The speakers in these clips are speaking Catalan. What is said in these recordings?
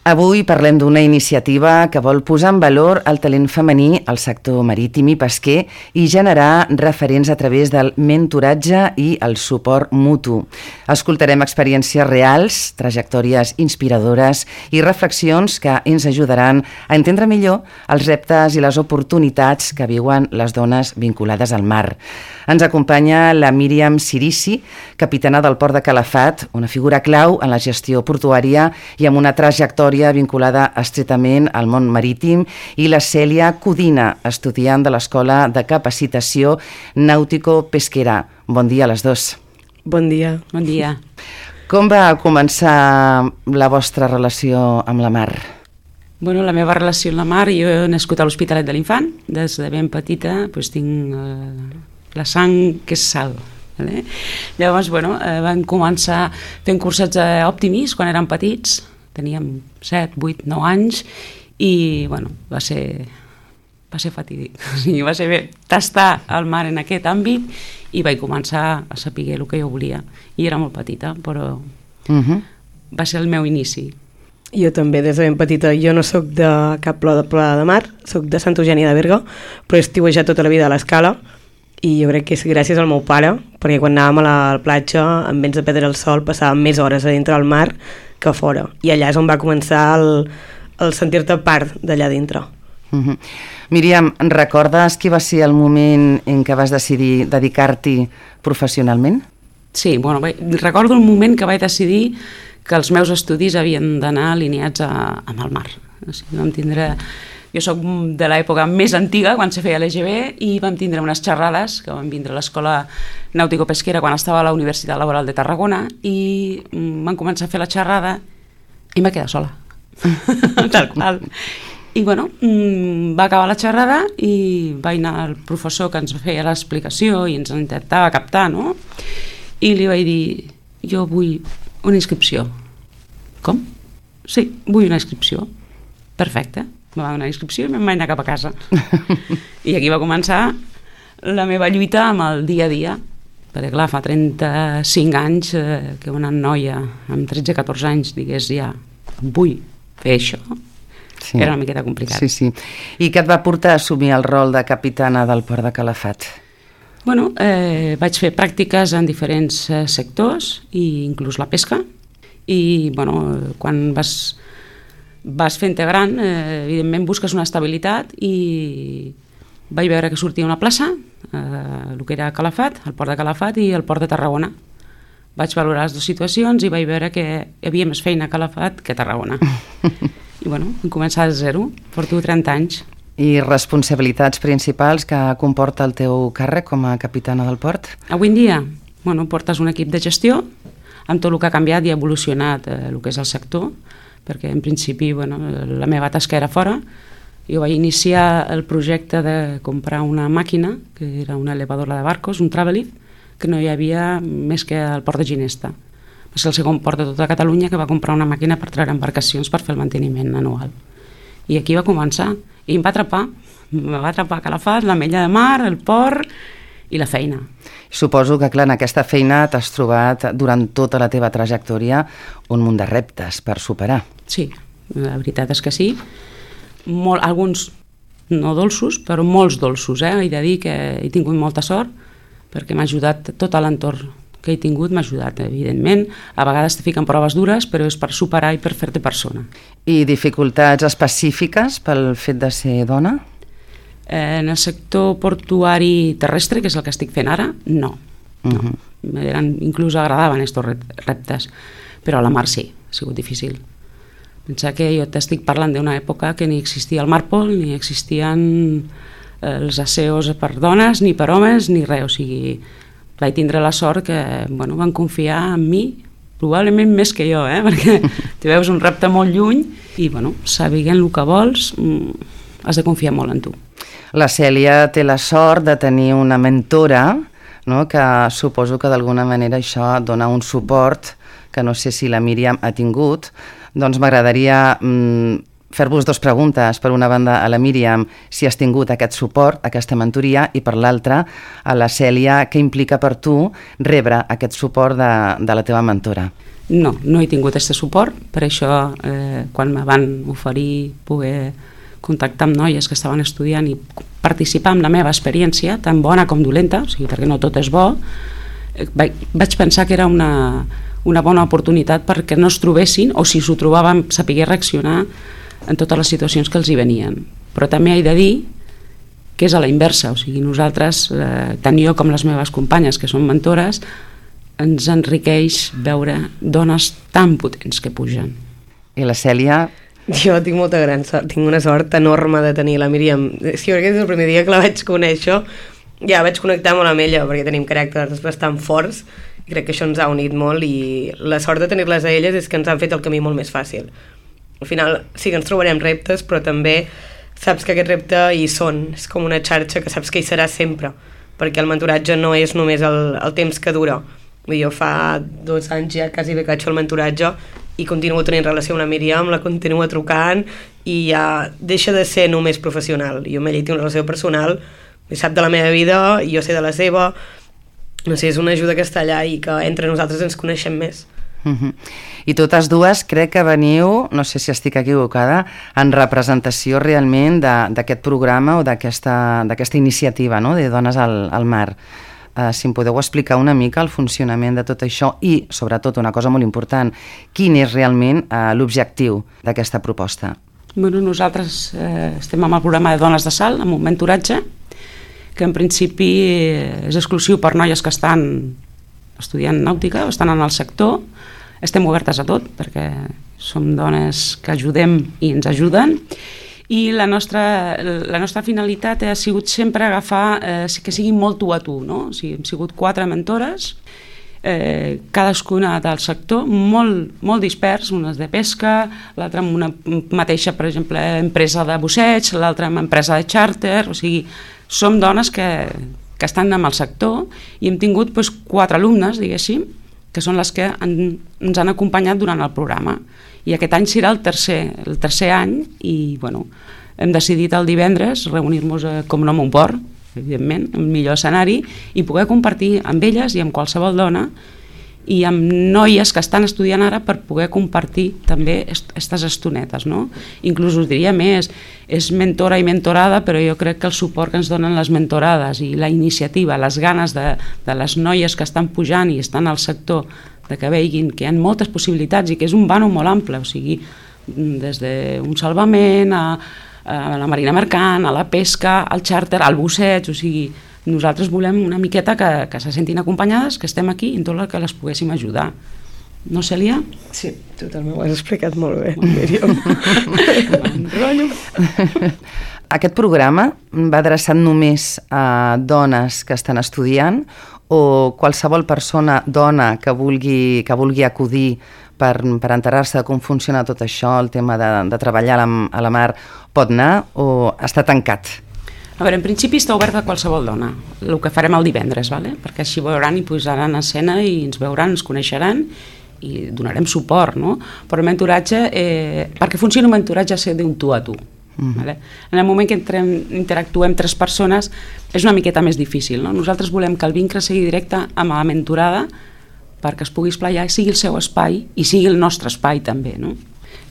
Avui parlem d'una iniciativa que vol posar en valor el talent femení al sector marítim i pesquer i generar referents a través del mentoratge i el suport mutu. Escoltarem experiències reals, trajectòries inspiradores i reflexions que ens ajudaran a entendre millor els reptes i les oportunitats que viuen les dones vinculades al mar. Ens acompanya la Míriam Cirici, capitana del Port de Calafat, una figura clau en la gestió portuària i amb una trajectòria vinculada estretament al món marítim, i la Cèlia Codina, estudiant de l'Escola de Capacitació Nàutico-Pesquera. Bon dia a les dos. Bon dia. Bon dia. Com va començar la vostra relació amb la mar? Bueno, la meva relació amb la mar, jo he nascut a l'Hospitalet de l'Infant, des de ben petita tinc la sang que és sal. Vale? Llavors, vam començar fent cursets d'Optimis quan érem petits, teníem 7, 8, 9 anys i va ser fatídic. O sigui, va ser bé tastar el mar en aquest àmbit i vaig començar a saber el que jo volia. I era molt petita, però va ser el meu inici. Jo també, des de ben petita. Jo no sóc de cap plor de mar, sóc de Santa Eugènia de Berga, però he estiuejat tota la vida a l'Escala i jo crec que és gràcies al meu pare, perquè quan anàvem a la platja, en vents de perdre el sol, passàvem més hores a dintre del mar que fora. I allà és on va començar el sentir-te part d'allà dintre. Míriam, recordes qui va ser el moment en què vas decidir dedicar-t'hi professionalment? Sí, recordo el moment que vaig decidir que els meus estudis havien d'anar alineats amb el mar. O sigui, vam tindre... Jo soc de l'època més antiga, quan se feia l'EGB, i vam tindre unes xerrades que van vindre a l'Escola Nàutico-Pesquera quan estava a la Universitat Laboral de Tarragona, i van començar a fer la xerrada i em va quedar sola. Tal qual. I va acabar la xerrada i va anar el professor que ens feia l'explicació i ens intentava captar, no? I li vaig dir, jo vull una inscripció. Com? Sí, vull una inscripció. Perfecte. Me va donar inscripció i me'n vaig anar cap a casa. I aquí va començar la meva lluita amb el dia a dia. Perquè clar, fa 35 anys que una noia amb 13-14 anys digués ja, vull fer això, sí. Era una miqueta complicat. Sí, sí. I què et va portar a assumir el rol de capitana del Port de Calafat? Vaig fer pràctiques en diferents sectors, i inclús la pesca, i quan vas fent-te gran, evidentment busques una estabilitat, i vaig veure que sortia una plaça, el que era Calafat, el Port de Calafat i el Port de Tarragona. Vaig valorar les dues situacions i vaig veure que hi havia més feina a Calafat que a Tarragona. I vam començar de zero, porto 30 anys. I responsabilitats principals que comporta el teu càrrec com a capitana del port? Avui en dia, portes un equip de gestió, amb tot el que ha canviat i ha evolucionat el que és el sector, perquè en principi la meva tasca era fora. Jo vaig iniciar el projecte de comprar una màquina, que era una elevadora de barcos, un Travellift, que no hi havia més que al port de Ginesta. Va ser el segon port de tota Catalunya que va comprar una màquina per treure embarcacions per fer el manteniment anual. I aquí va començar, i em va atrapar Calafat, l'Ametlla de Mar, el port i la feina. Suposo que, clar, en aquesta feina t'has trobat durant tota la teva trajectòria un munt de reptes per superar. Sí, la veritat és que sí. Alguns no dolços, però molts dolços. He de dir que he tingut molta sort, perquè m'ha ajudat tot l'entorn que he tingut, m'ha ajudat, evidentment. A vegades te fiquen proves dures, però és per superar i per fer-te persona. I dificultats específiques pel fet de ser dona? En el sector portuari terrestre, que és el que estic fent ara, no. Inclús agradaven aquests reptes, però a la mar sí, ha sigut difícil. Pensa que jo t'estic parlant d'una època que ni existia el Marpol, ni existien els aseos per dones, ni per homes, ni res. O sigui, vaig tindre la sort que van confiar en mi, probablement més que jo, perquè te veus un repte molt lluny i, sabent el que vols, has de confiar molt en tu. La Cèlia té la sort de tenir una mentora, que suposo que d'alguna manera això dona un suport que no sé si la Míriam ha tingut. Doncs m'agradaria fer-vos dues preguntes. Per una banda, a la Míriam, si has tingut aquest suport, aquesta mentoria, i per l'altra, a la Cèlia, què implica per tu rebre aquest suport de la teva mentora? No he tingut aquest suport, per això quan me van oferir poder contactar amb noies que estaven estudiant i participar en la meva experiència, tan bona com dolenta, o sigui, perquè no tot és bo, vaig pensar que era una bona oportunitat perquè no es trobessin, o si s'ho trobaven, sapigués reaccionar en totes les situacions que els hi venien. Però també he de dir que és a la inversa, o sigui, nosaltres, tant jo com les meves companyes, que són mentores, ens enriqueix veure dones tan potents que pugen. I la Cèlia? Jo tinc molta gran sort, tinc una sort enorme de tenir la Míriam. Sí, perquè des del primer dia que la vaig conèixer ja vaig connectar molt amb ella, perquè tenim caràcters bastant forts i crec que això ens ha unit molt, i la sort de tenir-les a elles és que ens han fet el camí molt més fàcil. Al final sí que ens trobarem reptes, però també saps que aquest repte hi són, és com una xarxa que saps que hi serà sempre, perquè el mentoratge no és només el temps que dura. Jo fa 2 anys ja quasi bé que faig el mentoratge i continuo tenint relació amb la Míriam, la continuo trucant i ja deixa de ser només professional. Jo amb ella tinc una relació personal, sap de la meva vida, jo sé de la seva, no sé, és una ajuda que està allà i que entre nosaltres ens coneixem més. I totes dues crec que veniu, no sé si estic equivocada, en representació realment d'aquest programa o d'aquesta iniciativa, no?, de Dones al Mar. Si em podeu explicar una mica el funcionament de tot això i, sobretot, una cosa molt important, quin és realment l'objectiu d'aquesta proposta? Bueno, nosaltres estem amb el programa de Dones de Salt, amb un mentoratge, que en principi és exclusiu per noies que estan estudiant nàutica o estan en el sector. Estem obertes a tot, perquè som dones que ajudem i ens ajuden, i la nostra finalitat ha sigut sempre agafar que sigui molt tu a tu, no? O sigui, hem sigut 4 mentores, cadascuna del sector, molt dispers, unes de pesca, l'altra amb una mateixa, per exemple, empresa de busseig, l'altra amb empresa de xàrter, o sigui, som dones que estan en el sector, i hem tingut 4 alumnes, diguéssim, que són les que ens han acompanyat durant el programa. I aquest any serà el tercer any, i bueno, hem decidit el divendres reunir-nos a Com no mon port, evidentment, el millor escenari, i poder compartir amb elles i amb qualsevol dona i amb noies que estan estudiant ara per poder compartir també aquestes estonetes, no? Inclús us diria més, és mentora i mentorada, però jo crec que el suport que ens donen les mentorades i la iniciativa, les ganes de les noies que estan pujant i estan al sector, de que veguin que hi ha moltes possibilitats i que és un vano molt ample, o sigui, des d'un salvament a la marina mercant, a la pesca, al xàrter, al busseig, o sigui, nosaltres volem una miqueta que se sentin acompanyades, que estem aquí i en tot el que les poguéssim ajudar. No, Cèlia? Sí, totalment, ho has explicat molt bé, Míriam. Aquest programa va adreçat només a dones que estan estudiant o qualsevol persona, dona, que vulgui acudir per enterar-se de com funciona tot això, el tema de treballar a la mar, pot anar o està tancat? A veure, en principi està obert a qualsevol dona, el que farem el divendres, perquè així veuran i posaran en escena i ens veuran, ens coneixeran i donarem suport, no? Però el mentoratge, perquè funcioni un mentoratge ha de ser d'un tu a tu. En el moment que interactuem 3 persones és una miqueta més difícil, no? Nosaltres volem que el vincle sigui directe amb la mentorada perquè es pugui esplaiar, sigui el seu espai i sigui el nostre espai també, no?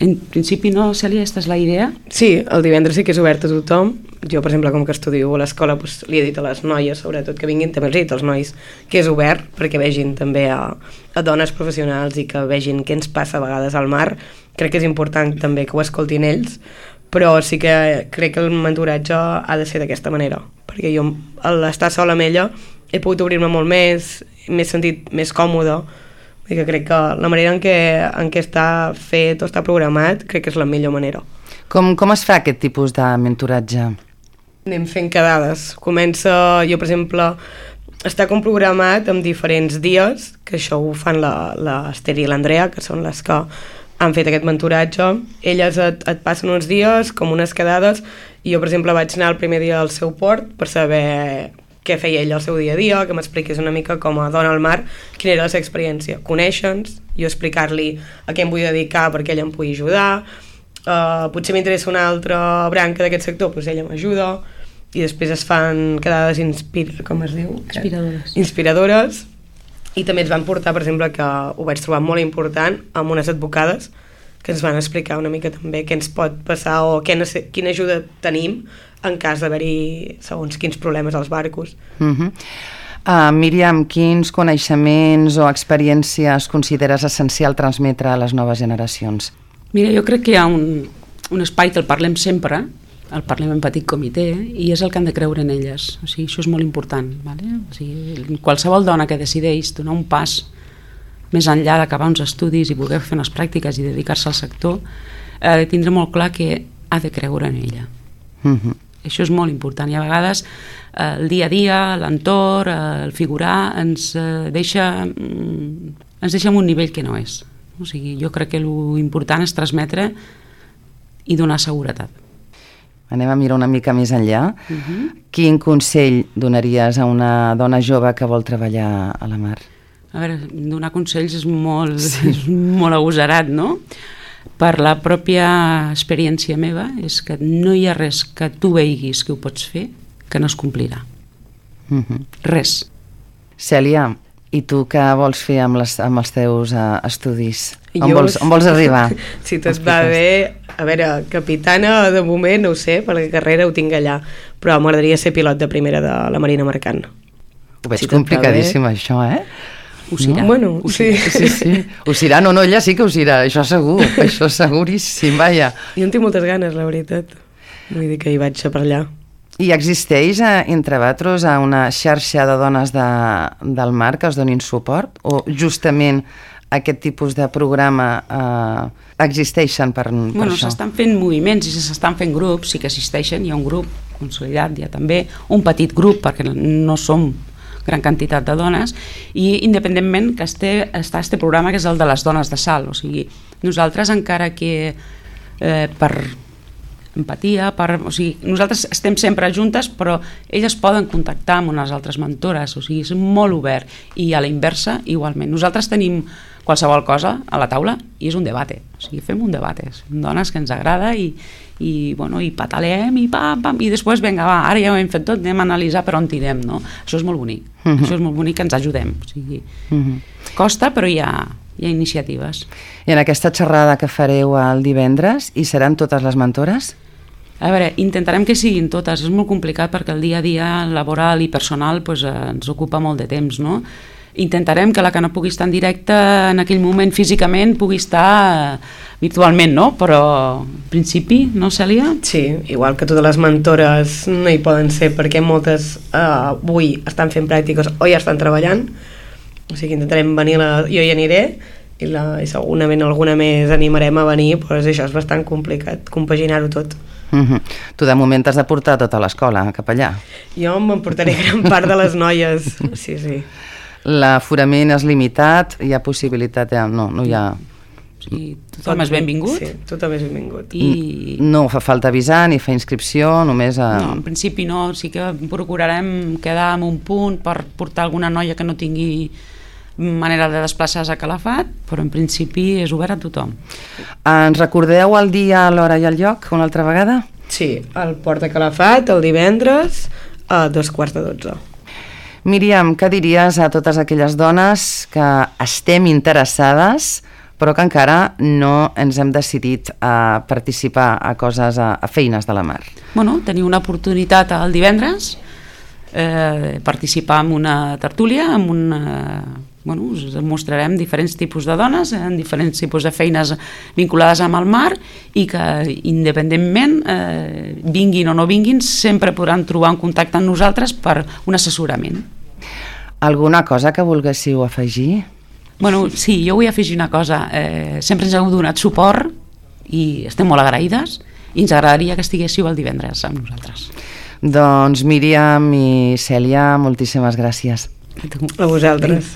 En principi no, Cèlia, aquesta és la idea? Sí, el divendres sí que és obert a tothom. Jo, per exemple, com que estudio a l'escola, li he dit a les noies, sobretot, que vinguin, també els he dit als nois, que és obert perquè vegin també a dones professionals i que vegin què ens passa a vegades al mar. Crec que és important també que ho escoltin ells, però sí que crec que el mentoratge ha de ser d'aquesta manera, perquè jo, al estar sola amb ella, he pogut obrir-me molt més, m'he sentit més còmoda, i que crec que la manera en què està fet o està programat crec que és la millor manera. Com es fa aquest tipus de mentoratge? Anem fent quedades. Comença, jo per exemple, està com programat en diferents dies, que això ho fan l'Ester i l'Andrea, que són les que han fet aquest mentoratge. Elles et passen uns dies, com unes quedades, i jo per exemple vaig anar el primer dia al seu port per saber què feia ell el seu dia a dia, que m'expliqués una mica com a dona al mar, quina era la seva experiència. Conèixer-nos, jo explicar-li a què em vull dedicar perquè ella em pugui ajudar, potser m'interessa una altra branca d'aquest sector, doncs ella m'ajuda, i després es fan quedades inspiradores, I també ens van portar, per exemple, que ho vaig trobar molt important, amb unes advocades que ens van explicar una mica també què ens pot passar o quina ajuda tenim en cas d'haver-hi segons quins problemes als barcos. Míriam, quins coneixements o experiències consideres essencial transmetre a les noves generacions? Mira, jo crec que hi ha un espai que el parlem sempre, el parlem en petit comitè, i és el que han de creure en elles. O sigui, això és molt important. Vale? O sigui, qualsevol dona que decideix donar un pas més enllà d'acabar uns estudis i voler fer unes pràctiques i dedicar-se al sector, ha de tindre molt clar que ha de creure en ella. Això és molt important, i a vegades el dia a dia, l'entorn, el figurar ens deixa en un nivell que no és. O sigui, jo crec que l'important és transmetre i donar seguretat. Anem a mirar una mica més enllà. Quin consell donaries a una dona jove que vol treballar a la mar? A veure, donar consells és molt agosarat, no? Per la pròpia experiència meva és que no hi ha res que tu veiguis que ho pots fer que no es complirà. Res. Cèlia, i tu què vols fer amb els teus estudis? On vols arribar? Si tot va bé, a veure, capitana de moment no ho sé, perquè carrera ho tinc allà, però m'agradaria ser pilot de primera de la Marina Mercant. Ho veig complicadíssim això, eh? Ho serà. Bueno, sí. Ho serà, no, ella sí que ho serà, això segur, això seguríssim, vaja. Jo en tinc moltes ganes, la veritat. Vull dir que hi vaig per allà. I existeix entre vosaltres una xarxa de dones del mar que us donin suport? O justament aquest tipus de programa existeixen per això? Bueno, s'estan fent moviments i s'estan fent grups, sí que existeixen, hi ha un grup consolidat, hi ha també un petit grup, perquè no som gran quantitat de dones, i independentment que està este programa que és el de les dones de salt, o sigui, nosaltres encara que per empatia, o sigui, nosaltres estem sempre juntes, però elles poden contactar amb unes altres mentores, o sigui, és molt obert, i a la inversa igualment. Nosaltres tenim qualsevol cosa a la taula i és un debate, o sigui, fem un debate, som dones que ens agrada i pataleem i pam, i després, vinga, va, ara ja ho hem fet tot, anem a analitzar per on tirem, no? Això és molt bonic, això és molt bonic, que ens ajudem, o sigui, costa, però hi ha iniciatives. I en aquesta xerrada que fareu el divendres, hi seran totes les mentores? A veure, intentarem que siguin totes, és molt complicat perquè el dia a dia laboral i personal ens ocupa molt de temps, no? Intentarem que la que no pugui estar en directe en aquell moment físicament pugui estar virtualment, no? Però en principi, no, Cèlia? Sí, igual que totes les mentores no hi poden ser perquè moltes avui estan fent pràctiques o ja estan treballant, o sigui, intentarem venir, jo hi aniré i segurament alguna més animarem a venir, però això és bastant complicat, compaginar-ho tot. Tu de moment t'has de portar tota l'escola cap allà? Jo m'emportaré gran part de les noies, sí. L'aforament és limitat, hi ha possibilitat, no hi ha... Sí, tothom és benvingut? Sí, tothom és benvingut. No fa falta avisar ni fer inscripció, només... No, en principi no, sí que procurarem quedar en un punt per portar alguna noia que no tingui manera de desplaçar-se a Calafat, però en principi és obert a tothom. Ens recordeu el dia, l'hora i el lloc una altra vegada? Sí, al Port de Calafat, el divendres a 11:45. Míriam, què diries a totes aquelles dones que estem interessades però que encara no ens hem decidit a participar a coses, a feines de la mar? Bueno, tenir una oportunitat el divendres, participar en una tertúlia, us mostrarem diferents tipus de dones en diferents tipus de feines vinculades amb el mar i que independentment vinguin o no vinguin sempre podran trobar un contacte amb nosaltres per un assessorament. Alguna cosa que volguéssiu afegir? Bueno, sí, jo vull afegir una cosa. Sempre ens heu donat suport i estem molt agraïdes i ens agradaria que estiguéssiu el divendres amb nosaltres. Doncs Míriam i Cèlia, moltíssimes gràcies. A vosaltres.